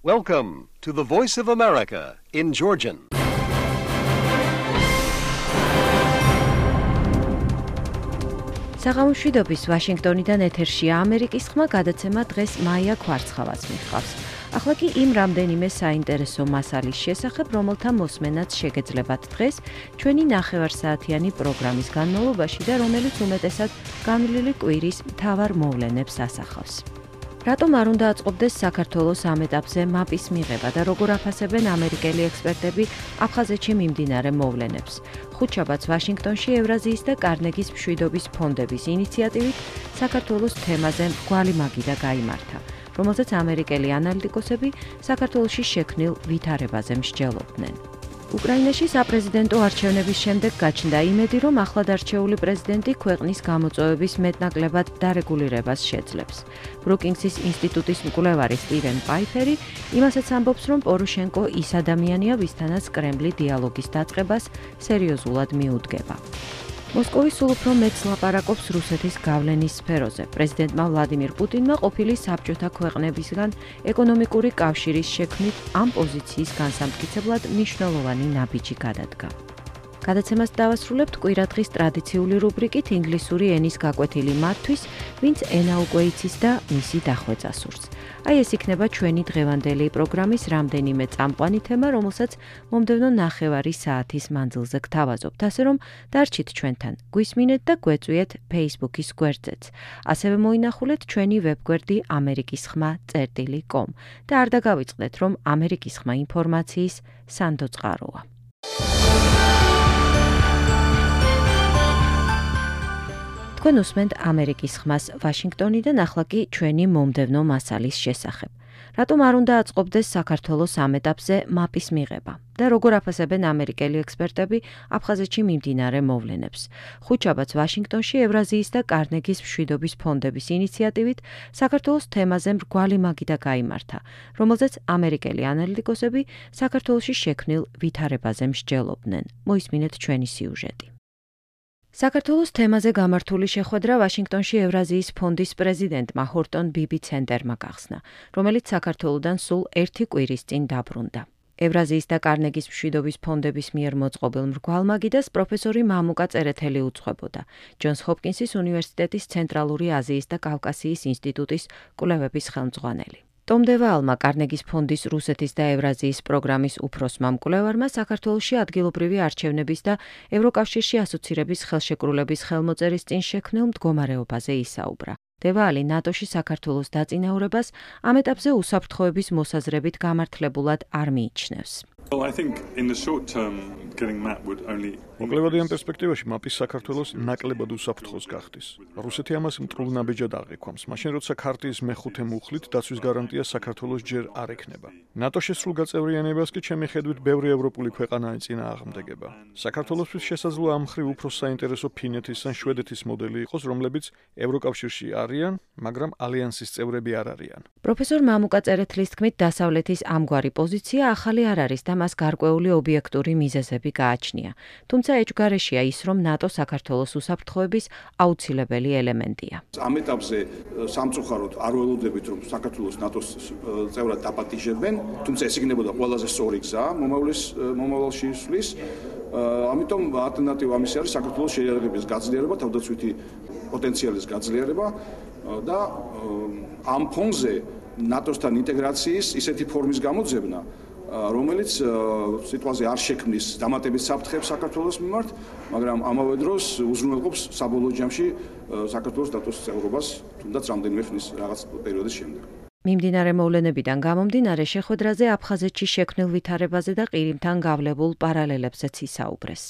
Welcome to the Voice of America in Georgian. საღამოშვიდობის ვაშინგტონიდან ეთერშია ამერიკის ხმა გადაცემა დღეს მაია ქვარცხავას მიჰყავს. ახლა კი იმ რამდენიმე საინტერესო მასალის შესახებ, რომელთა მოსმენაც შეგეძლებათ დღეს ჩვენი ნახევარსაათიანი პროგრამის განმავლობაში და რომელიც უმეტესად განვლილი კვირის მთავარ მოვლენებს ასახავს. რატომ არ უნდა აწყობდეს საქართველოს ამ ეტაპზე მაპის მიღება და როგორ აფასებენ ამერიკელი ექსპერტები აფხაზეთში მიმდინარე მოვლენებს? ხუთშაბათს ვაშინგტონში ევრაზიის და კარნეგის მშვიდობის ფონდების ინიციატივით საქართველოს თემაზე მრგვალი მაგიდა გაიმართა, რომელზეც ამერიკელი ანალიტიკოსები საქართველოში შექმნილ ვითარებაზე მსჯელობდნენ. უკრაინაში საპრეზიდენტო არჩევნების შემდეგ გაჩნდა იმედი, რომ ახლად არჩეული პრეზიდენტი ქვეყნის გამოწვევების მეტნაკლებად დარეგულირებას შეძლებს. ბრუკინგსის ინსტიტუტის მკვლევარი სტივენ პაიფერი იმასაც ამბობს, რომ პოროშენკო ის ადამიანია, ვისთანაც კრემლი დიალოგის დაწყებას სერიოზულად მიუდგება. მოსკოვი სულ უფრო მეტს ლაპარაკობს რუსეთის გავლენის სფეროზე. პრეზიდენტმა ვლადიმირ პუტინმა ყოფილი საბჭოთა ქვეყნებისგან ეკონომიკური კავშირის შექმნით ამ პოზიციის განსამტკიცებლად მნიშვნელოვანი ნაბიჯი გადადგა. გადაცემას დავასრულებთ კვირადღის ტრადიციული რუბრიკით ინგლისური ენის გაკვეთილი მათთვის, ვინც ენა უკვე იცის და მისი დახვეწა სურს. აი ეს იქნება ჩვენი დღევანდელი პროგრამის რამდენიმე წამყვანი თემა, რომელსაც მომდევნო ნახევარი საათის მანძილზე გთავაზობთ, ასე რომ დარჩით ჩვენთან, გვისმინეთ და გვეწვიეთ Facebook-ის გვერდზეც. ასევე მოინახულეთ ჩვენი ვებგვერდი amerikisxma.com და არ დაგავიწყდეთ, რომ ამერიკის ხმა ინფორმაციის სანდო წყაროა. თქვენ უსმენთ ამერიკის ხმას ვაშინგტონიდან, ახლა კი ჩვენი მომდევნო მასალის შესახებ. რატომ არ უნდა აწყობდეს საქართველოს ამ ეტაპზე მაპის მიღება და როგორ აფასებენ ამერიკელი ექსპერტები აფხაზეთში მიმდინარე მოვლენებს? ხუთშაბათს ვაშინგტონში ევრაზიის და კარნეგის მშვიდობის ფონდების ინიციატივით საქართველოს თემაზე მრგვალი მაგიდა გაიმართა, რომელზეც ამერიკელი ანალიტიკოსები საქართველოში შექმნილ ვითარებაზე მსჯელობდნენ. მოისმინეთ ჩვენი სიუჟეტი. საქართველოს თემაზე გამართული შეხვედრა ვაშინგტონში ევრაზიის ფონდის პრეზიდენტმა ჰორტონ ბიბი ცენტერმა გახსნა, რომელიც საქართველოდან სულ ერთი კვირის წინ დაბრუნდა. ევრაზიის და კარნეგის მშვიდობის ფონდების მიერ მოწყობილ მრგვალ მაგიდას პროფესორი მამუკა წერეთელი უძღვებოდა, ჯონს ჰოპკინსის უნივერსიტეტის ცენტრალური აზიის და კავკასიის ინსტიტუტის კვლევების ხელმძღვანელი. ტომ დევალმა კარნეგის ფონდის რუსეთის და ევრაზიის პროგრამის უფროსმა მკვლევარმა საქართველოში ადგილობრივი არჩევნების და ევროკავშირში ასოცირების ხელშეკრულების ხელმოწერის წინ შექმნილ მდგომარეობაზე ისაუბრა. დევალი ნატოში საქართველოს დაწინაურებას ამ ეტაპზე უსაფრთხოების მოსაზრებით გამართლებულად არ მიიჩნევს. მოკლევადიან პერსპექტივაში მაპის საქართველოს ნაკლებად უსაფრთხოს გახდის. რუსეთი ამას მტრულ ნაბიჯად აღიქვამს, მაშინ როცა ქარტიის მეხუთე მუხლით დაცვის გარანტია საქართველოს ჯერ არ ექნება. ნატო შესრულ გაწევრიანებას კი ჩემი ხედვით ბევრი ევროპული ქვეყანა ეწინააღმდეგება. საქართველოსთვის შესაძლოა ამ მხრივ უფრო საინტერესო ფინეთის ან შვედეთის მოდელი იყოს, რომლებიც ევროკავშირში არიან, მაგრამ ალიანსის წევრები არ არიან. პროფესორ მამუკა წერეთლის თქმით, დასავლეთის ამგვარი პოზიცია ახალი არ არის და მას გარკვეული ობიექტური მიზეზები გააჩნია. თუმცა ეჭვგარეშია ის, რომ ნატო საქართველოს უსაფრთხოების აუცილებელი ელემენტია. ამ ეტაპზე სამწუხაროდ არ ველოდებით, რომ საქართველოს ნატოს წევრად დაპატიჟებენ, თუმცა ეს იქნებოდა ყველაზე სწორი გზა მომავალში ისვლის. ამიტომ ალტერნატივა ამისი არის საქართველოს შეიარაღების გაძლიერება, თავდაცვითი პოტენციალის გაძლიერება და ამ ფონზე ნატოსთან ინტეგრაციის ისეთი ფორმის გამოძებნა, რომელიც სიტუაცია არ შექმნის დამატებით საფრთხეებს საქართველოს მიმართ, მაგრამ ამავე დროს უზრუნველყოფს საბოლოო ჯამში საქართველოს ნატოს წევრობას, თუნდაც რამდენიმე ხნის რაღაც პერიოდის შემდეგ. მიმდინარე მოვლენებიდან გამომდინარე შეხვედრაზე აფხაზეთში შექმნილ ვითარებაზე და ყირიმთან გავლებულ პარალელებზეც ისაუბრეს.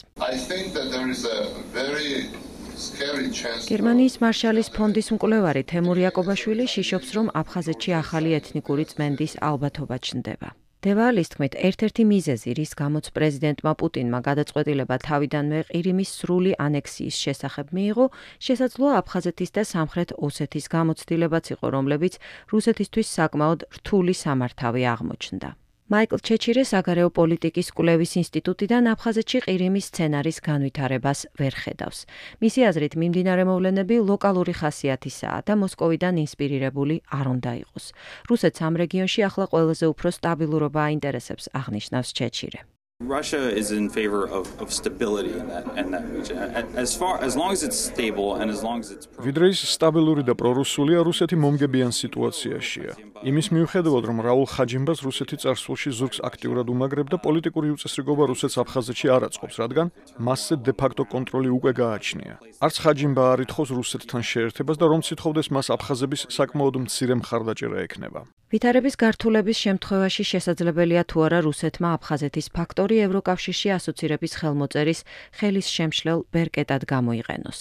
გერმანიის მარშალის ფონდის მკვლევარი თემურ იაკობაშვილი შიშობს, რომ აფხაზეთში ახალი ეთნიკური წმენდის ალბათობა ჩნდება. დევალის თქმით, ერთ-ერთი მიზეზი, რის გამოც პრეზიდენტმა პუტინმა გადაწყვეტილება თავიდანვე ყირიმის სრული ანექსიის შესახებ მიიღო, შესაძლოა აფხაზეთის და სამხრეთ ოსეთის გამოცდილებაც იყო, რომლებიც რუსეთისთვის საკმაოდ რთული სამართავი აღმოჩნდა. მაიკლ ჩეჩირე საგარეო პოლიტიკის კვლევის ინსტიტუტიდან აფხაზეთში ყირიმის სცენარის განვითარებას ვერ ხედავს. მისი აზრით, მიმდინარე მოვლენები ლოკალური ხასიათისაა და მოსკოვიდან ინსპირირებული არ უნდა იყოს. რუსეთს ამ რეგიონში ახლა ყველაზე უფრო სტაბილურობა აინტერესებს, აღნიშნავს ჩეჩირე. Russia is in favor of stability in that region. As long as it's stable and as long as it's ვიდრე ის სტაბილური და პრორუსულია, რუსეთი მომგებიან სიტუაციაშია. იმის მიუხედავად, რომ რაულ ხაჯიმბას რუსეთი წარსულში ზურგს აქტიურად უმაგრებდა, პოლიტიკური უწესრიგობა რუსეთს აფხაზეთში არ აწყობს, რადგან მასზე დე-ფაქტო კონტროლი უკვე გააჩნია. არც ხაჯიმბა არ ითხოვს რუსეთთან შეერთებას და რომ ცითხოვდეს მას აფხაზების საკმაოდ მცირე მხარდაჭერა ექნება. ვითარების გართულების შემთხვევაში შესაძლებელია თუ არა რუსეთმა აფხაზეთის ფაქტორი ევროკავშირში ასოცირების ხელმოწერის ხელის შემშლელ ბერკეტად გამოიყენოს.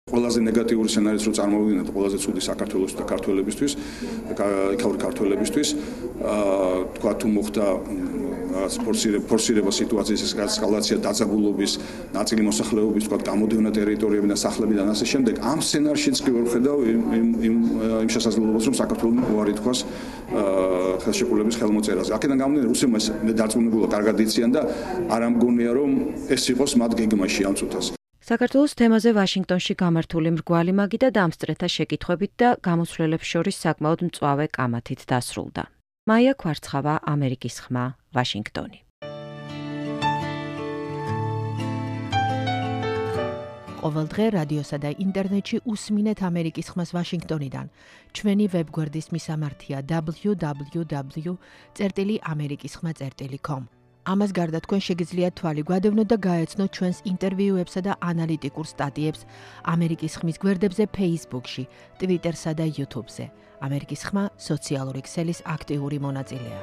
ყველაზე ნეგატიური სცენარიც რო წარმოვიდგინოთ, ყველაზე ცუდი საქართველოს და ქართველებისთვის, იქაური ქართველებისთვის, თქვა თუ მოხდა ფორსირება სიტუაციის ესკალაცია დაძაბულობის, ნაწილი მოსახლეობის, თქვა გამოდევნა ტერიტორიები და სახლები და ასე შემდეგ. ამ სცენარშიც კი ვერ ხედავ იმ შესაძლებლობას, რომ საქართველოს უარი თქვას ხელშეკრულების ხელმოწერაზე. აქედან გამომდინარე, რუსებმა მე დარწმუნებულა კარგად იციან და არ ამგონია, რომ ეს იყოს მათ გეგმაში ამ წუთას. საქართველოს თემაზე ვაშინგტონში გამართული მრგვალი მაგი და დამსწრეთა შეკითხვებით და გამოსვლელებს შორის საკმაოდ მწვავე კამათით დასრულდა. მაია კვარცხავა, ამერიკის ხმა, ვაშინგტონი. ყოველდღე რადიოსა და ინტერნეტში უსმინეთ ამერიკის ხმას ვაშინგტონიდან. ჩვენი ვებგვერდის მისამართია www.amerikiskhma.com. ამას გარდა თქვენ შეგიძლიათ თვალი გვადევნოთ და გაეცნოთ ჩვენს ინტერვიუებსა და ანალიტიკურ სტატიებს ამერიკის ხმის გვერდებზე Facebook-ში, Twitter-სა და YouTube-ზე. ამერიკის ხმა სოციალური ქსელის აქტიური მონაწილეა.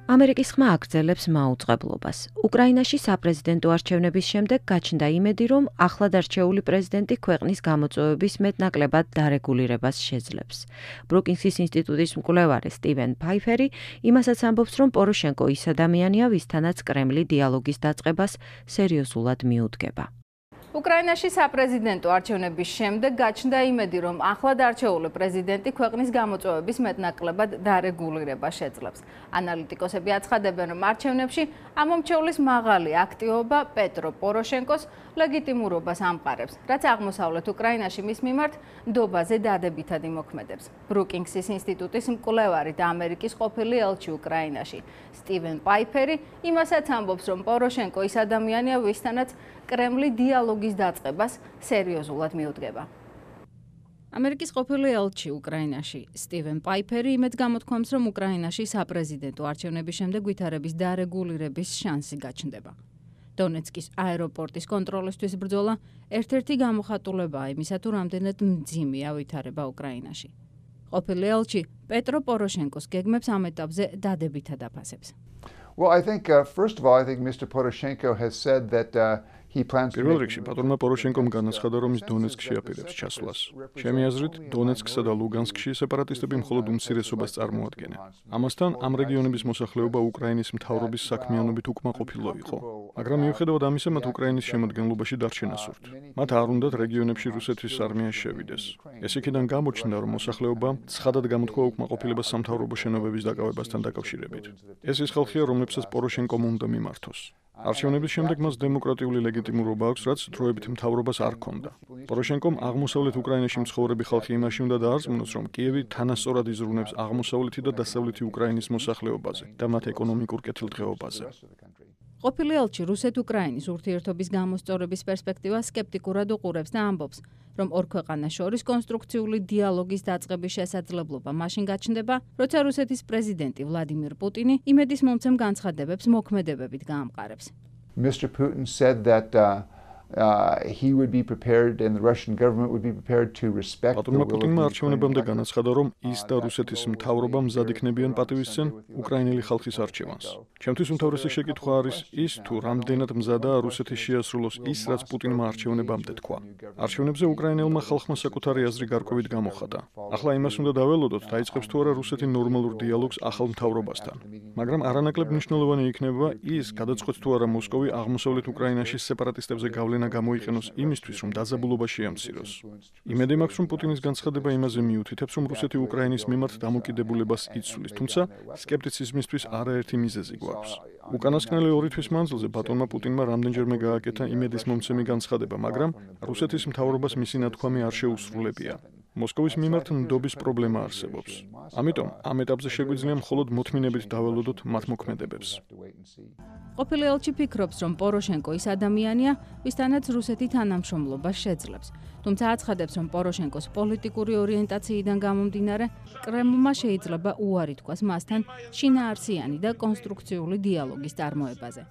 ამერიკის ხმა აგრძელებს მაუწყებლობას. უკრაინაში საპრეზიდენტო არჩევნების შემდეგ გაჩნდა იმედი, რომ ახლად არჩეული პრეზიდენტი ქვეყნის გამოწვევების მეტნაკლებად დარეგულირებას შეძლებს. ბრუკინგსის ინსტიტუტის მკვლევარი სტივენ ფაიფერი იმასაც ამბობს, რომ პოროშენკო ის ადამიანია, ვისთანაც კრემლი დიალოგის დაწყებას სერიოზულად მიუდგება. უკრაინაში საპრეზიდენტო არჩევნების შემდეგ გაჩნდა იმედი, რომ ახლად არჩეული პრეზიდენტი ქვეყნის გამოწვევების მეტნაკლებად დარეგულირებას შეძლებს. ანალიტიკოსები აცხადებენ, რომ არჩევნებში ამომრჩევლის მაღალი აქტივობა პეტრო პოროშენკოს ლეგიტიმურობას ამყარებს, რაც აღმოსავლეთ უკრაინაში მის მიმართ ნდობაზე დადებითად იმოქმედებს. ბრუკინგსის ინსტიტუტის მკვლევარი და ამერიკის ყოფილი ელჩი უკრაინაში სტივენ პაიფერი იმასაც ამბობს, რომ პოროშენკო ის ადამიანია, ვისთანაც კრემლი დიალოგის დაწყებას სერიოზულად მიუდგება. ამერიკის ყოფილი ელჩი უკრაინაში სტივენ პაიფერი იმედს გამოთქვამს, რომ უკრაინაში საპრეზიდენტო არჩევნების შემდეგ ვითარების დარეგულირების შანსი გაჩნდება. დონეცკის აეროპორტის კონტროლისთვის ბრძოლა ერთ-ერთი გამოხატულებაა იმისა, თუ რამდენად მძიმეა ვითარება უკრაინაში. ყოფილი ელჩი პეტრო პოროშენკოს გეგმებს ამ ეტაპზე დადებითად აფასებს. Well, I think first of all, I think Mr. Poroshenko has said that პირველ რიგში პატრონმა პოროშენკომ განაცხადა, რომ ის დონეცკში აპირებს ჩასვლას. ჩემი აზრით, დონეცკსა და ლუგანსკში სეპარატისტები მხოლოდ უმცირესობას წარმოადგენენ. ამასთან, ამ რეგიონების მოსახლეობა უკრაინის მთავრობის საქმიანობით უკმაყოფილო იყო. მაგრამ მიუხედავად ამისა, მათ უკრაინის შემადგენლობაში დარჩენა სურთ. მათ არ უნდათ რეგიონებში რუსეთის არმია შევიდეს. ეს იქიდან გამოჩნდა, რომ მოსახლეობა ცხადად გამოთქვა უკმაყოფილებას სამთავრობო შენობების დაკავებასთან დაკავშირებით. ეს ის ხალხია, რომლებსაც პოროშენკომ უნდა მიმართოს. არჩევნების შემდეგ მას დემოკრატიული ლეგიტიმურობა აქვს, რაც დროებით მთავრობას არ ჰქონდა. პოროშენკომ აღმოსავლეთ უკრაინაში მცხოვრები ხალხი იმაში უნდა დაარწმუნოს, რომ კიევი თანასწორად იზრუნებს აღმოსავლეთი და დასავლეთი უკრაინის მოსახლეობაზე და მათ ეკონომიკურ კეთილდღეობაზე. ყოფილი ელჩი რუსეთ-უკრაინის ურთიერთობის გამოსწორების პერსპექტივას სკეპტიკურად უყურებს და ამბობს, რომ ორ ქვეყანას შორის კონსტრუქციული დიალოგის დაწყების შესაძლებლობა მაშინ გაჩნდება, როცა რუსეთის პრეზიდენტი ვლადიმირ პუტინი იმედის მომცემ განცხადებებს მოქმედებებით გაამყარებს. Mr. Putin said that he would be prepared and the Russian government would be prepared to respect the will of პუტინმა არჩევნებამდე განაცხადა, რომ ის და რუსეთის მთავრობა მზად იქნებიან პატივისცენ უკრაინელი ხალხის არჩევანს. ჩემთვის უმთავრესი შეკითხვა არის ის, თუ რამდენად მზადაა რუსეთი შეასრულოს ის, რაც პუტინმა არჩევნებამდე თქვა. არჩევნებზე უკრაინელმა ხალხმა საკუთარი აზრი გარკვევით გამოხატა. ახლა იმას უნდა დაველოდოთ, დაიწყებს თუ არა რუსეთი ნორმალურ დიალოგს ახალ მთავრობასთან. მაგრამ არანაკლებ მნიშვნელოვანი იქნება ის, გადაწყვეტს თუ არა მოსკოვი აღმოსავლეთ უკრაინაში სეპარატისტებზე გავლენა გავლენა გამოიყენოს იმისთვის, რომ დაძაბულობაში ამციროს. იმედი მაქვს, რომ პუტინის განცხადება იმაზე მიუთითებს, რომ რუსეთი უკრაინის მიმართ დამოკიდებულებას იცვლის, თუმცა სკეპტიციზმისთვის არაერთი მიზეზი გვაქვს. უკანასკნელი 2 თვის მანძილზე ბატონმა პუტინმა რამდენჯერმე გააკეთა იმედის მომცემი განცხადება, მაგრამ რუსეთის მთავრობას მისი ნათქვამი არ შეუსრულებია. მოსკოვის მიმართ ნდობის პრობლემა არსებობს. ამიტომ ამ ეტაპზე შეგვიძლია მხოლოდ მოთმინებით დაველოდოთ მათ მოქმედებებს. ყოფილი ელჩი ფიქრობს, რომ პოროშენკო ის ადამიანია, ვისთანაც რუსეთი თანამშრომლობას შეძლებს. თუმცა აცხადებს, რომ პოროშენკოს პოლიტიკური ორიენტაციიდან გამომდინარე, კრემლმა შეიძლება უარი თქვას მასთან შინაარსიანი და კონსტრუქციული დიალოგის წარმოებაზე.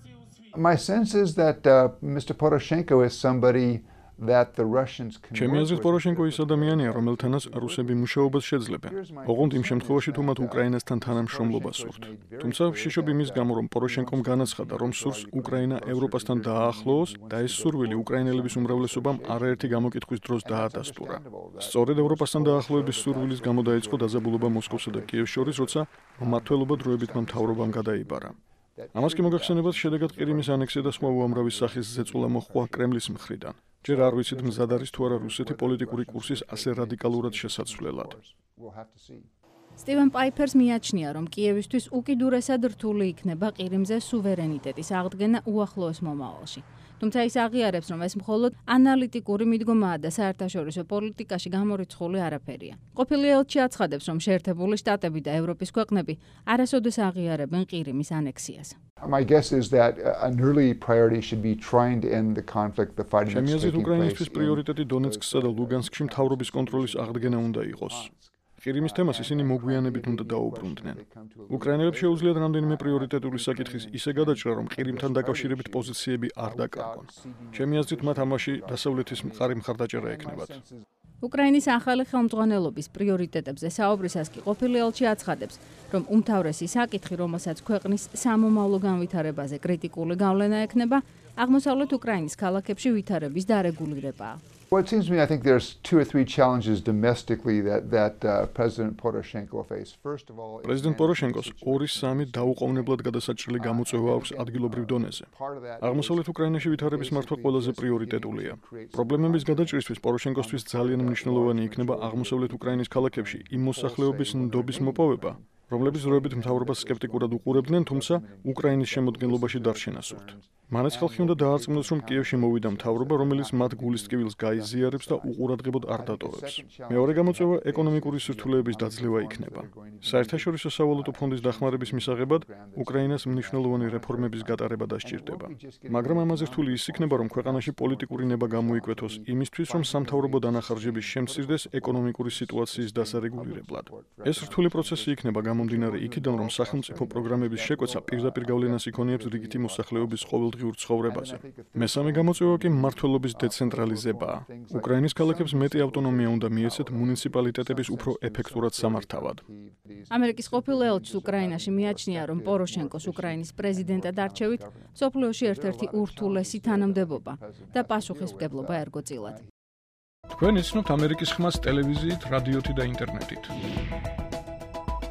My sense is that Mr. Poroshenko is somebody that the Russians can ჩემი აზრით პოროშენკო ის ადამიანია, რომელთანაც რუსები მუშაობას შეძლებენ. ოღონდ იმ შემთხვევაში, თუ მათ უკრაინასთან თანამშრომლობა სურთ. თუმცა შიშობ იმის გამო, რომ პოროშენკომ განაცხადა, რომ სურს უკრაინა ევროპასთან დააახლოოს და ეს სურვილი უკრაინელების უმრავლესობამ არაერთი გამოკითხვის დროს დაადასტურა. სწორედ ევროპასთან დაახლოების სურვილის გამო დაიწყო დაძაბულობა მოსკოვსა და კიევს შორის, როცა მმართველობა დროებითმა მთავრობამ გადაიბარა. ამას კი მოგახსენებათ, შედეგად ყირიმის ანექსია და სხვა უამრავი სახის ზეწოლა მოჰყვა კრემლის მხრიდან. ჯერ არ ვიცით მზად არის თუ არა რუსეთი პოლიტიკური კურსის ასე რადიკალურად შესაცვლელად. სტივენ პაიფერს მიაჩნია, რომ კიევისთვის უკიდურესად რთული იქნება ყირიმზე სუვერენიტეტის აღდგენა უახლოეს მომავალში. თუმცა ის აღიარებს, რომ ეს მხოლოდ ანალიტიკური მიდგომაა და საერთაშორისო პოლიტიკაში გამორიცხული არაფერია. ყოფილი ელჩი აცხადებს, რომ შეერთებული შტატები და ევროპის ქვეყნები არასოდეს აღიარებენ ყირიმის ანექსიას. My guess is that an early priority should be trying to end the conflict, the fighting that's ჩემი აზრით taking უკრაინისთვის place. პრიორიტეტი დონეცკსა და ლუგანსკში მთავრობის კონტროლის აღდგენა უნდა იყოს. ყირიმის თემას ისინი მოგვიანებით უნდა დაუბრუნდნენ. უკრაინელებს შეუძლიათ რამდენიმე პრიორიტეტული საკითხის ისე გადაჭრა, რომ ყირიმთან დაკავშირებით პოზიციები არ დაკარგონ. ჩემი აზრით მათ ამაში დასავლეთის მყარი მხარდაჭერა ექნებათ. უკრაინის ახალი ხელმძღვანელობის პრიორიტეტებზე საუბრისას კი ყოფილი ელჩი აცხადებს, რომ უმთავრესი საკითხი, რომელსაც ქვეყნის სამომავლო განვითარებაზე კრიტიკული გავლენა ექნება, აღმოსავლეთ უკრაინის ქალაქებში ვითარების დარეგულირებაა. Well, it seems to me, I think there's 2 or 3 challenges domestically that President Poroshenko faced. First of all, პრეზიდენტ პოროშენკოს 2-3 დაუყოვნებლად გადასაჭრელი გამოწვევა აქვს ადგილობრივ დონეზე. აღმოსავლეთ უკრაინაში ვითარების მართვა ყველაზე პრიორიტეტულია. პრობლემების გადაჭრისთვის პოროშენკოსთვის ძალიან მნიშვნელოვანი იქნება აღმოსავლეთ უკრაინის ქალაქებში იმ მოსახლეობის ნდობის მოპოვება, რომლებიც დროებით მთავრობას სკეპტიკურად უყურებდნენ, თუმცა უკრაინის შემოდგენლობაში დარჩენა სურთ. მანაც ხალხი უნდა დაარწმუნოს, რომ კიევში მოვიდა მთავრობა, რომელიც მათ გულის ტკივილს გაიზიარებს და უყურადღებოდ არ დატოვებს. მეორე გამოწვევა ეკონომიკური სირთულეების დაძლევა იქნება. საერთაშორისო სავალუტო ფონდის დახმარების მისაღებად უკრაინას მნიშვნელოვანი რეფორმების გატარება დასჭირდება. მაგრამ ამაზე რთული ის იქნება, რომ ქვეყანაში პოლიტიკური ნება გამოიკვეთოს იმისთვის, რომ სამთავრობო დანახარჯების შემცირდეს ეკონომიკური სიტუაციის დასარეგულირებლად. ეს რთული პროცესი იქნება გამომდინარე იქიდან, რომ სახელმწიფო პროგრამების შეკვეცა პირდაპირ გავლენას იქონიებს რიგითი მოსახლეობის ყოველდღიურ ცხოვრებაზე. მესამე გამოწვევა კი მმართველობის დეცენტრალიზებაა. უკრაინის ქალაქებს მეტი ავტონომია უნდა მიეცეთ მუნიციპალიტეტების უფრო ეფექტურად სამართავად. ამერიკის ყოფილი ელჩი უკრაინაში მიაჩნია, რომ პოროშენკოს უკრაინის პრეზიდენტად არჩევით სოფლიოში ერთ-ერთი ურთულესი თანამდებობა და პასუხისმგებლობა ერგოწილად. თქვენ იცნობთ ამერიკის ხმას ტელევიზიით, რადიოთი და ინტერნეტით.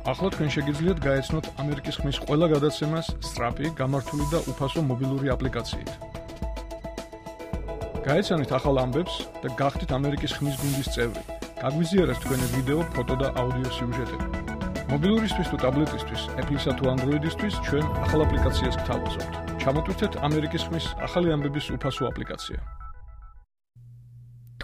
ახლა თქვენ შეგიძლიათ გაეცნოთ ამერიკის ხმის ყველა გადაცემას სწრაფი, გამართული და უფასო მობილური აპლიკაციით. გაეცანით ახალ ამბებს და გახდით ამერიკის ხმის გუნდის წევრი. გაგვიზიარეთ თქვენი ვიდეო, ფოტო და აუდიო სიუჟეტები. მობილურისთვის თუ ტაბლეტისთვის, Apple-ისა თუ Android-ისთვის ჩვენ ახალ აპლიკაციას გთავაზობთ. ჩამოტვირთეთ ამერიკის ხმის ახალი ამბების უფასო აპლიკაცია.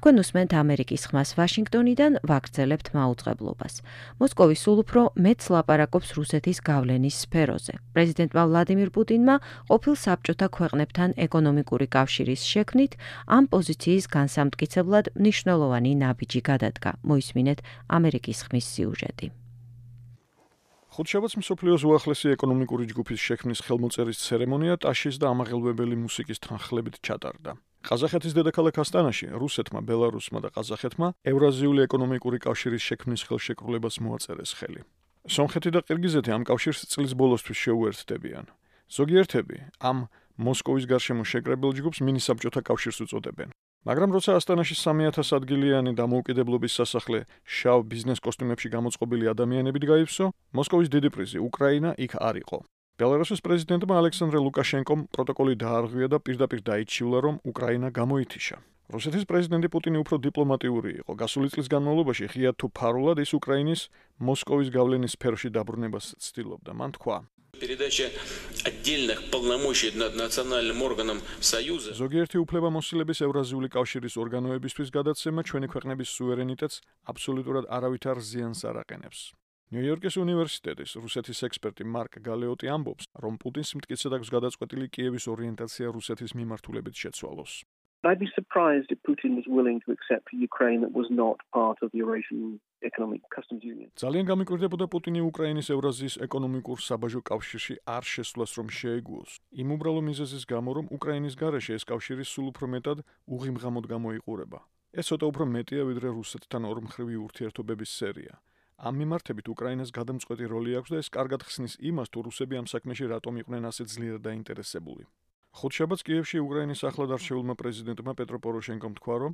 თქვენ უსმენთ ამერიკის ხმას ვაშინგტონიდან, ვაგრძელებთ მაუწყებლობას. მოსკოვი სულ უფრო მეტს ლაპარაკობს რუსეთის გავლენის სფეროზე. პრეზიდენტმა ვლადიმირ პუტინმა ყოფილ საბჭოთა ქვეყნებთან ეკონომიკური კავშირის შექმნით ამ პოზიციის განსამტკიცებლად მნიშვნელოვანი ნაბიჯი გადადგა. მოისმინეთ ამერიკის ხმის სიუჟეტი. ხუთშაბათს მსოფლიოს უახლესი ეკონომიკური ჯგუფის შექმნის ხელმოწერის ცერემონია ტაშის და ამაღელვებელი მუსიკის თანხლებით ჩატარდა. ყაზახეთის დედაქალაქ ასტანაში რუსეთმა, ბელარუსმა და ყაზახეთმა ევრაზიული ეკონომიკური კავშირის შექმნის ხელშეკრულებას მოაწერეს ხელი. სომხეთი და ყირგიზეთი ამ კავშირს წლის ბოლოსთვის შეუერთდებიან. ზოგიერთები ამ მოსკოვის გარშემო შეკრებილ ჯგუფს მინისაბჭოთა კავშირს უწოდებენ. მაგრამ როცა ასტანაში 3000 ადგილიანი დამოუკიდებლობის სასახლე შავ ბიზნეს კოსტუმებში გამოწყობილი ადამიანებით გაივსო, მოსკოვის დიდი პრიზი უკრაინა იქ არ იყო. ბელარუსის პრეზიდენტმა ალექსანდრე ლუკაშენკომ პროტოკოლი დაარღვია და პირდაპირ დაიჩივლა, რომ უკრაინა გამოითიშა. რუსეთის პრეზიდენტი პუტინი უფრო დიპლომატიური იყო. Გასული წლის განმავლობაში ღიად თუ ფარულად ის უკრაინის მოსკოვის გავლენის სფეროში დაბრუნებას ცდილობდა. მან თქვა: Передача отдельных полномочий над национальным органам Союза. ზოგიერთი უფლებამოსილების ევრაზიული კავშირის ორგანოებისთვის გადაცემა ჩვენი ქვეყნების სუვერენიტეტს აბსოლუტურად არავითარ ზიანს არ აყენებს. ნიუ-იორკის უნივერსიტეტის რუსეთის ექსპერტი მარკ გალეოტი ამბობს, რომ პუტინს მტკიცედ აქვს გადაწყვეტილი კიევის ორიენტაცია რუსეთის მიმართულებით შეცვალოს. I'd be surprised if Putin was willing to accept a Ukraine that was not part of the Eurasian Economic Customs Union. ძალიან გამიკვირდებოდა პუტინი უკრაინის ევრაზიის ეკონომიკურ საბაჟო კავშირში არ შესვლას რომ შეეგუოს. იმ უბრალო მიზეზის გამო, რომ უკრაინის გარეშე ეს კავშირი სულ უფრო მეტად უღიმღამოდ გამოიყურება. ეს ცოტა უფრო მეტია, ვიდრე რუსეთთან ორმხრივი ურთიერთობების სერია. ამ მიმართებით უკრაინას გადამწყვეტი როლი აქვს და ეს კარგად ხსნის იმას, თუ რუსები ამ საქმეში რატომ იყვნენ ასე ძლიერ დაინტერესებული. ხუთშაბათს კიევში უკრაინის ახლად არჩეულმა პრეზიდენტმა პეტრო პოროშენკომ თქვა, რომ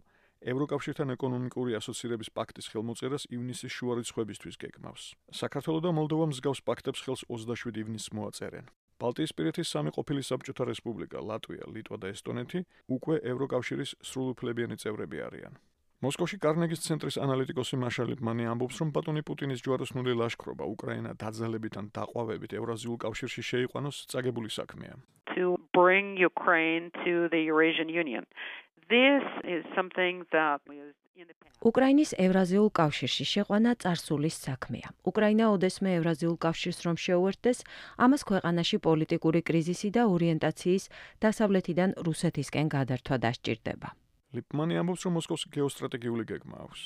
ევროკავშირთან ეკონომიკური ასოცირების პაქტის ხელმოწერას ივნისის შუა რიცხვებისთვის გეგმავს. საქართველო და მოლდოვა მსგავს პაქტებს ხელს 27 ივნისს მოაწერენ. ბალტიისპირეთის სამი ყოფილი საბჭოთა რესპუბლიკა, ლატვია, ლიტვა და ესტონეთი უკვე ევროკავშირის სრულუფლებიანი წევრები არიან. მოსკოვში კარნეგის ცენტრის ანალიტიკოსი მაშა ლიპმანი ამბობს, რომ ბატონი პუტინის ჯვაროსნული ლაშქრობა უკრაინა დაძალებით ან დაყვავებით ევრაზიულ კავშირში შეიყვანოს წაგებული საქმეა. To bring Ukraine to the Eurasian Union. This is something that is in the past. უკრაინის ევრაზიულ კავშირში შეყვანა წარსულის საქმეა. უკრაინა ოდესმე ევრაზიულ კავშირს რომ შეუერთდეს, ამას ქვეყანაში პოლიტიკური კრიზისი და ორიენტაციის დასავლეთიდან რუსეთისკენ გადართვა დასჭირდება. ლიპმანი ამბობს, რომ მოსკოვს გეოსტრატეგიული გეგმა აქვს.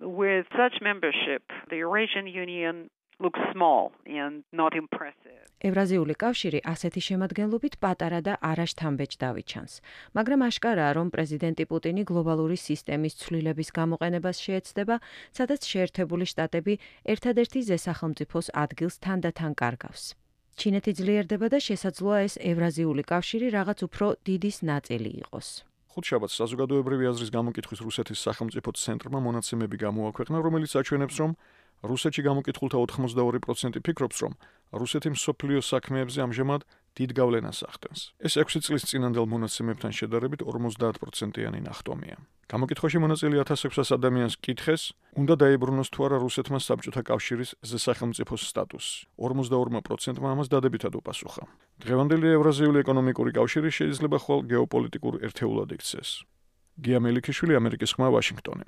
With such membership, the Eurasian Union looks small and not impressive. ევრაზიული კავშირი ასეთი შემადგენლობით პატარა და არაშთამბეჭ დავიჩანს, მაგრამ აშკარაა, რომ პრეზიდენტი პუტინი გლობალური სისტემის ცვლილების გამოყენებას შეეცდება, სადაც შეერთებული შტატები ერთადერთი ზესახელმწიფოს ადგილს თანდათან კარგავს. ჩინეთი ძლიერდება და შესაძლოა ეს ევრაზიული კავშირი რაღაც უფრო დიდის ნაწილი იყოს. ხუთშაბათს საზოგადოებრივი აზრის გამოკითხვის რუსეთის სახელმწიფო ცენტრმა მონაცემები გამოაქვეყნა, რომელიც აჩვენებს, რომ რუსეთში გამოკითხულთა 82% ფიქრობს, რომ რუსეთი მსოფლიო საქმეებზე ამჟამად დიდ გავლენას ახდენს. ეს 6 წლის წინანდელ მონაცემებთან შედარებით 50%-იანი ნახტომია. გამოკითხვაში მონაწილე 1600 ადამიანს კითხეს, უნდა დაებრუნოს თუ არა რუსეთმა საბჭოთა კავშირის ზესახელმწიფოს სტატუსი. 42%-მა ამას დადებითად უპასუხა. დღევანდელი ევრაზიული ეკონომიკური კავშირი შეიძლება ხვალ გეოპოლიტიკურ ერთეულად იქცეს. გია მელიქიშვილი, ამერიკის ხმა, ვაშინგტონი.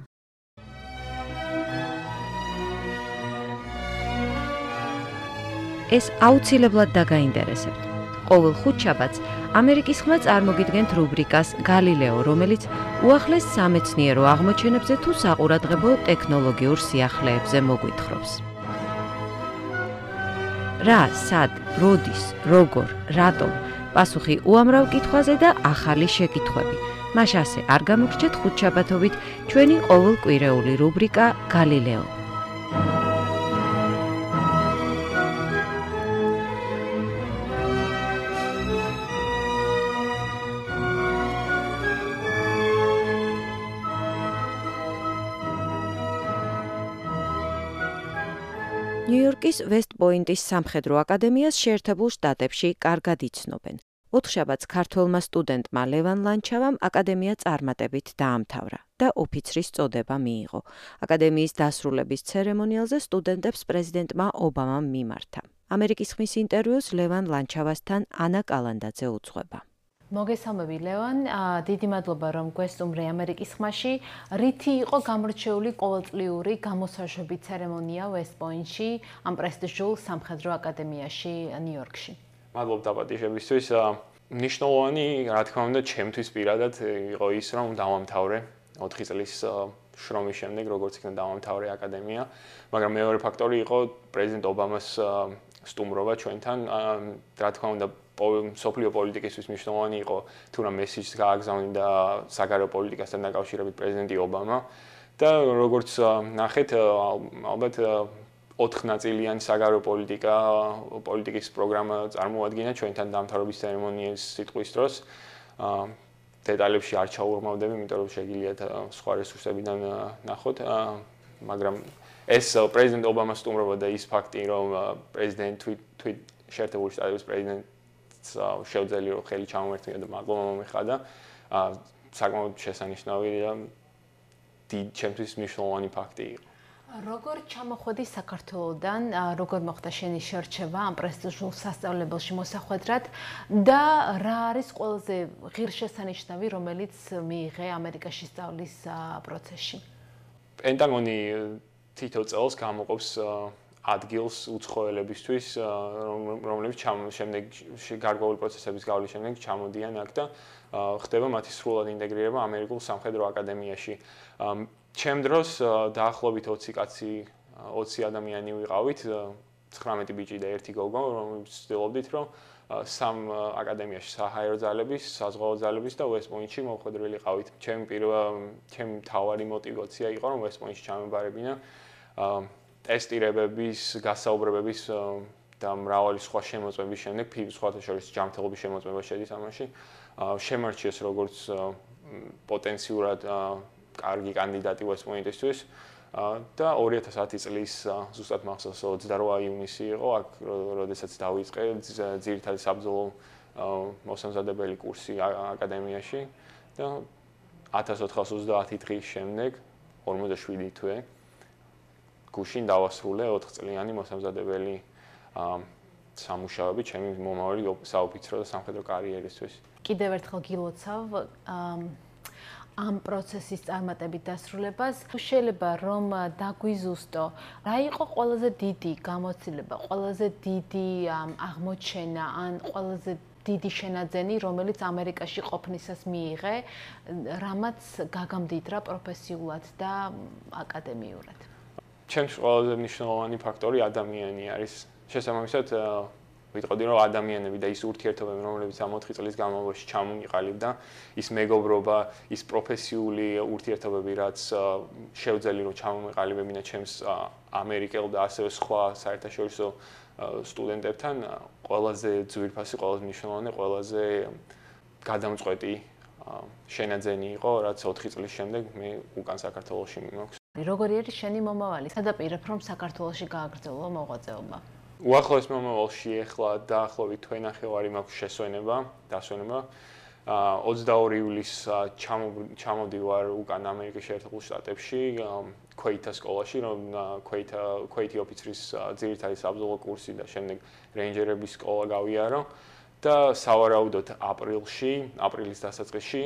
ეს აუცილებლად დაგაინტერესებთ. ყოველ ხუთშაბათს ამერიკის ხმა წარმოგიდგენთ რუბრიკას გალილეო, რომელიც უახლეს სამეცნიერო აღმოჩენებზე თუ საყურადღებო ტექნოლოგიურ სიახლეებზე მოგვითხრობს. რა, სად, როდის, როგორ, რატომ? პასუხი უამრავ კითხვაზე და ახალი შეკითხვები. მაშ ასე არ გამოგრჩეთ ხუთშაბათობით ჩვენი ყოველკვირეული რუბრიკა გალილეო. ნიუ-იორკის ვესტ-პოინტის სამხედრო აკადემიას შეერთებულ შტატებში კარგად იცნობენ. ოთხშაბათს ქართველმა სტუდენტმა ლევან ლანჩავამ აკადემია წარმატებით დაამთავრა და ოფიცრის წოდება მიიღო. აკადემიის დასრულების ცერემონიალზე სტუდენტებს პრეზიდენტმა ობამამ მიმართა. ამერიკის ხმის ინტერვიუს ლევან ლანჩავასთან ანა კალანდაძე უძღვება. მოგესალმები ლევან, დიდი მადლობა რომ გვესტუმრე ამერიკის ხმაში. რითი იყო გამორჩეული ყოველწლიური გამოსაშვები ცერემონია ვესტ-პოინტში, ამ პრესტიჟულ სამხედრო აკადემიაში ნიუ-იორკში? მადლობა დაპატიჟებისთვის. მნიშვნელოვანი, რა თქმა უნდა, ჩემთვის პირადად იყო ის, რომ დავამთავრე 4 წლის შრომის შემდეგ, როგორც იქნა დავამთავრე აკადემია, მაგრამ მეორე ფაქტორი იყო პრეზიდენტ ობამას სტუმრობა ჩვენთან. რა თქმა უნდა, სოფლიო პოლიტიკისთვის მნიშვნელოვანი იყო თუ რა მესიჯს გააგზავნიდა საგარეო პოლიტიკასთან დაკავშირებით პრეზიდენტი ობამა და როგორც ნახეთ, ალბათ 4 ნაწილიანი საგარეო პოლიტიკის პროგრამა წარმოადგენდა ჩვენთან დამთავრების ცერემონიის სიტყვის დროს. დეტალებში არ ჩაურმავდები, იმიტომ რომ შეგიძლიათ სხვა რესურსებიდან ნახოთ, მაგრამ ეს პრეზიდენტ ობამას სტუმრობა და ის ფაქტი, რომ პრეზიდენტი შეერთებული შტატების პრეზიდენტს შეუძლია რომ ხელი ჩამოერთმია და მადლობა მომეხადა. საკმაოდ შესანიშნავია დიდ ჩემთვის მნიშვნელოვანი ფაქტი იყო. როგორ ჩამოხვედი საქართველოდან, როგორ მოხდა შენი შერჩევა ამ პრესტიჟულ სასწავლებელში მოსახვედრად და რა არის ყველაზე ღირსშესანიშნავი, რომელიც მიიღე ამერიკაში სწავლის პროცესში? პენტაგონი თითო წელს გამოყოფს ადგილს უცხოელებისთვის, რომლებიც შემდეგ გარკვეული პროცესების გავლის შემდეგ ჩამოდიან აქ და ხდება მათი სრულად ინტეგრირება ამერიკულ სამხედრო აკადემიაში. ჩემ დროს დაახლოებით 20 ადამიანი ვიყავით, 19 ბიჭი და 1 გოგო, რომლებიც ვცდილობდით, რომ სამ აკადემიაში საჰაერო ძალების, საზღვაო ძალების და West Point-ში მოხვედრილიყავით. ჩემი მთავარი мотиваცია იყო, რომ West Point-ში ჩამებარებინა ტესტირებების, გასაუბრებების და მრავალი სხვა შემოწმების შემდეგ, სხვათა შორის ჯანმრთელობის შემოწმება შედის ამაში. შემარჩიეს როგორც პოტენციურად კარგი კანდიდატი West Point-ისთვის და 2010 წლის ზუსტად მახსოვს 28 ივნისი იყო, აქ როდესაც დავიწყე ძირითადი საბრძოლო მოსამზადებელი კურსი აკადემიაში და 1430 დღის შემდეგ 47 თვე გუშინ დავასრულე 4 წლიანი მოსამზადებელი სამუშაოები ჩემი მომავალი საოფიცრო და სამხედრო კარიერისთვის. კიდევ ერთხელ გილოცავ ამ პროცესის წარმატებით დასრულებას. შეიძლება რომ დაგვიზუსტო, რა იყო ყველაზე დიდი გამოცდილება, ყველაზე დიდი აღმოჩენა ან ყველაზე დიდი შენაძენი, რომელიც ამერიკაში ყოფნისას მიიღე, რამაც გაგამდიდრა პროფესიულად და აკადემიურად. ჩემს ყველაზე მნიშვნელოვანი ფაქტორი ადამიანი არის. შესაბამისად ვიტყოდი რომ ადამიანები და ის ურთიერთობები, რომლებიც ამ 4 წლის განმავლობაში ჩამომიყალიბდა, ის მეგობრობა, ის პროფესიული ურთიერთობები, რაც შევძელი რომ ჩამომიყალიბებინა ჩემს ამერიკელ და ასევე სხვა საერთაშორისო სტუდენტებთან, ყველაზე ძვირფასი, ყველაზე მნიშვნელოვანი, ყველაზე გადამწყვეტი შენაძენი იყო, რაც 4 წლის შემდეგ მე უკან საქართველოში მიმოქვს. როგორი არის შენი მომავალი? სადაპირებ რომ საქართველოში გააგრძელო მოღვაწეობა? უახლოეს მომავალში ახლა დაახლოებით თვენახევარი მაქვს დასვენება. 22 ივლისს ჩამოდივარ უკან ამერიკის შეერთებულ შტატებში, ქვეითას სკოლაში, რომ ქვეითი ოფიცრის ძირითადი საბრძოლო კურსი და შემდეგ რეინჯერების სკოლა გავიარო და სავარაუდოდ აპრილის დასაწყისში,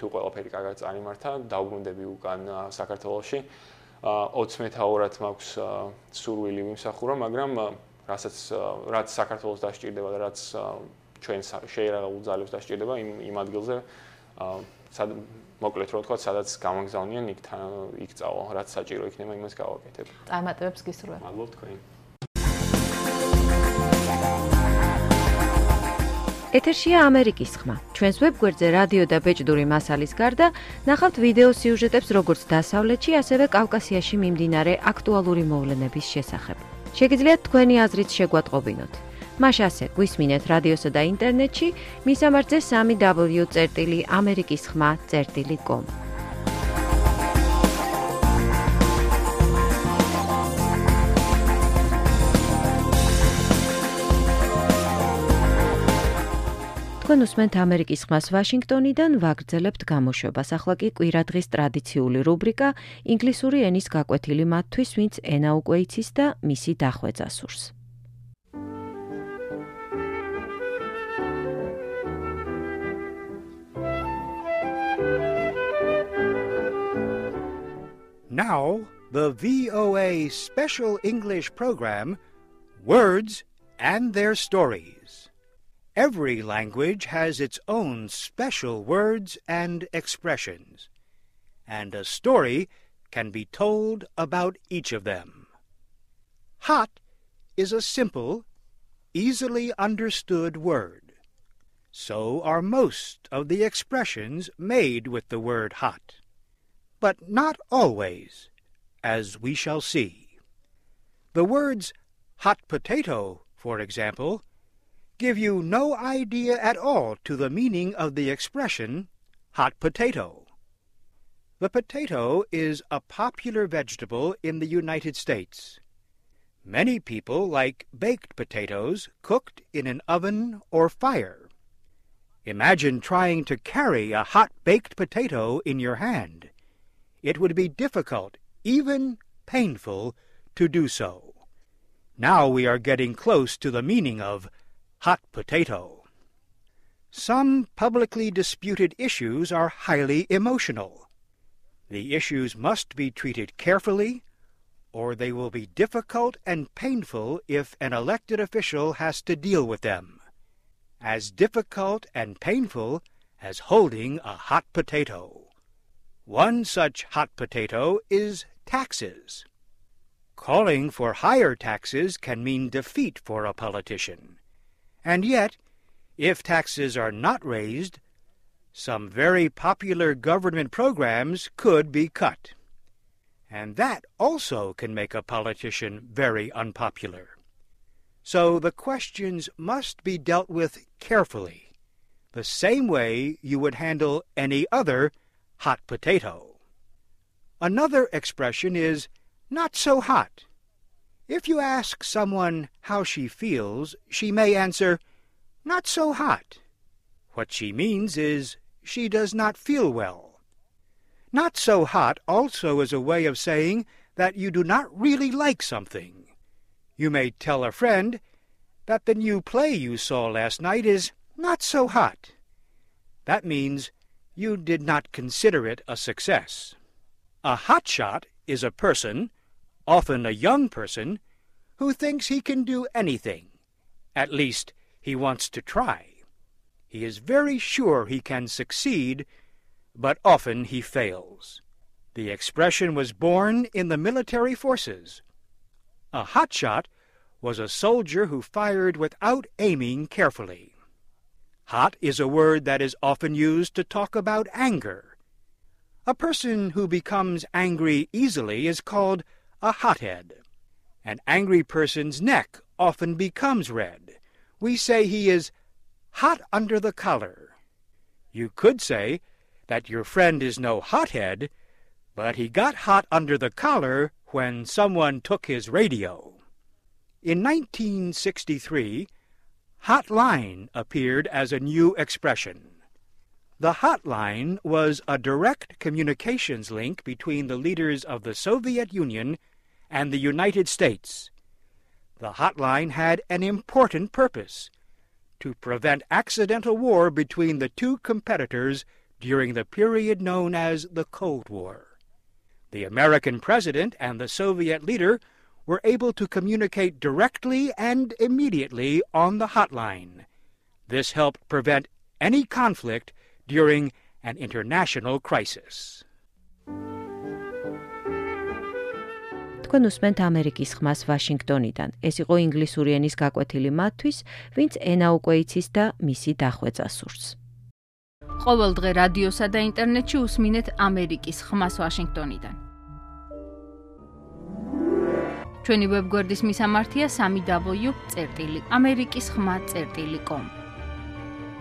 თუ ყველაფერი კარგად წარიმართა, დავბრუნდები უკან საქართველოში. 20 მეთაურად მაქვს სურვილი ვიმსახურო, მაგრამ რაც საქართველოს დასჭირდება და რაც ჩვენ შეერაღებულ ძალებს დასჭირდება იმ ადგილზე მოკლედ რო ვთქვა, სადაც გამაგზავნიან იქ წავალ, რაც საჭირო იქნება, იმას გავაკეთებ. წარმატებებს გისურვებ. მადლობ თქვენ. ეთერშია ამერიკის ხმა. ჩვენს ვებგვერდზე რადიო და ბეჭდური მასალის გარდა ნახავთ ვიდეო სიუჟეტებს როგორც დასავლეთში, ასევე კავკასიაში მიმდინარე აქტუალური მოვლენების შესახებ. შეგიძლიათ თქვენი აზრით შეგვატყობინოთ. მას ასე გვისმინეთ რადიოსა და ინტერნეტში, მისამართზე www.amerikiskhma.com. თქვენ უსმენთ ამერიკის ხმას ვაშინგტონიდან, ვაგრძელებთ გამოშვებას. ახლა კი კვირადღის ტრადიციული რუბრიკა ინგლისური ენის გაკვეთილი მათთვის, ვინც ენა უკვე იცის და მისი დახვეწა სურს. Now, the VOA special English program, Words and Their Stories. Every language has its own special words and expressions, and a story can be told about each of them. Hot is a simple, easily understood word. So are most of the expressions made with the word hot. But not always, as we shall see. The words hot potato, for example, give you no idea at all to the meaning of the expression hot potato. The potato is a popular vegetable in the United States. Many people like baked potatoes cooked in an oven or fire. Imagine trying to carry a hot baked potato in your hand. It would be difficult, even painful, to do so. Now we are getting close to the meaning of hot potato. Some publicly disputed issues are highly emotional. The issues must be treated carefully, or they will be difficult and painful if an elected official has to deal with them. As difficult and painful as holding a hot potato. One such hot potato is taxes. Calling for higher taxes can mean defeat for a politician. And yet, if taxes are not raised, some very popular government programs could be cut. And that also can make a politician very unpopular. So the questions must be dealt with carefully, the same way you would handle any other hot potato. Another expression is not so hot. If you ask someone how she feels, she may answer, not so hot. What she means is she does not feel well. Not so hot also is a way of saying that you do not really like something. You may tell a friend that the new play you saw last night is not so hot. That means you did not consider it a success. A hotshot is a person, often a young person, who thinks he can do anything. At least, he wants to try. He is very sure he can succeed, but often he fails. The expression was born in the military forces. A hotshot was a soldier who fired without aiming carefully. Hot is a word that is often used to talk about anger. A person who becomes angry easily is called a hothead. An angry person's neck often becomes red. We say he is hot under the collar. You could say that your friend is no hothead, but he got hot under the collar when someone took his radio. In 1963, hotline appeared as a new expression. The hotline was a direct communications link between the leaders of the Soviet Union and the United States. The hotline had an important purpose: to prevent accidental war between the two competitors during the period known as the Cold War. The American president and the Soviet leader were able to communicate directly and immediately on the hotline. This helped prevent any conflict during an international crisis. თქვენ უსმენთ ამერიკის ხმას ვაშინგტონიდან. ეს იყო ინგლისური ენის გაკვეთილი მათთვის, ვინც ენა უკვე იცის და მისი დახვეწა სურს. ყოველ დღე რადიოსა და ინტერნეტში უსმინეთ ამერიკის ხმას ვაშინგტონიდან. ჩვენი ვებგვერდის მისამართია www.amerikisxma.com.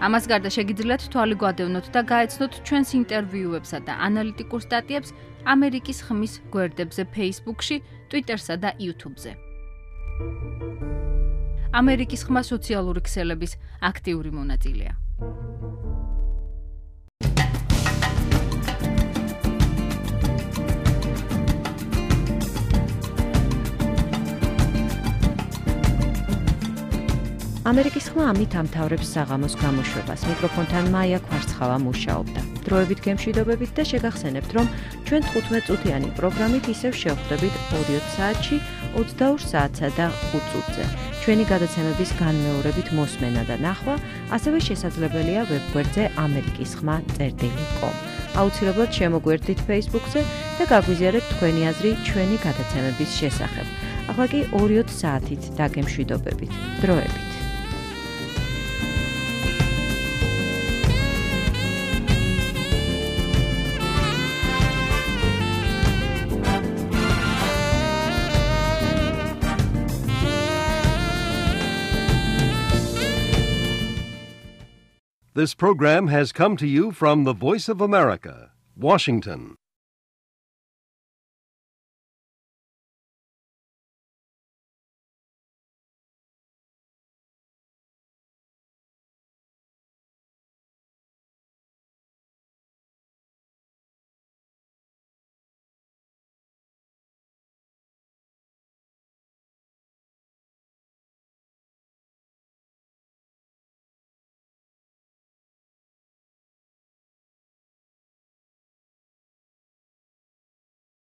ამას გარდა შეგიძლიათ თვალი გვადევნოთ და გაეცნოთ ჩვენს ინტერვიუებსა და ანალიტიკურ სტატიებს ამერიკის ხმის გვერდებზე Facebook-ში, Twitter-სა და YouTube-ზე. ამერიკის ხმა სოციალური ქსელების აქტიური მონაწილეა. ამერიკის ხმა ამით ამთავრებს საღამოს გამოშვებას. მიკროფონთან მაია კვარცხავა მუშაობდა. დროებით გემშვიდობებით და შეგახსენებთ, რომ ჩვენ 15 წუთიანი პროგრამით ისევ შევხვდებით 2 საათში, 22 საათსა და 5 წუთზე. ჩვენი გადაცემების განმეორებით მოსმენა და ნახვა ასევე შესაძლებელია ვებგვერდზე amerikisxma.com. აუცილებლად შემოგვერთდით Facebook-ზე და გაგვიზიარეთ თქვენი აზრი ჩვენი გადაცემების შესახებ. ახლა კი 2 საათით დაგემშვიდობებით. დროებით. This program has come to you from the Voice of America, Washington.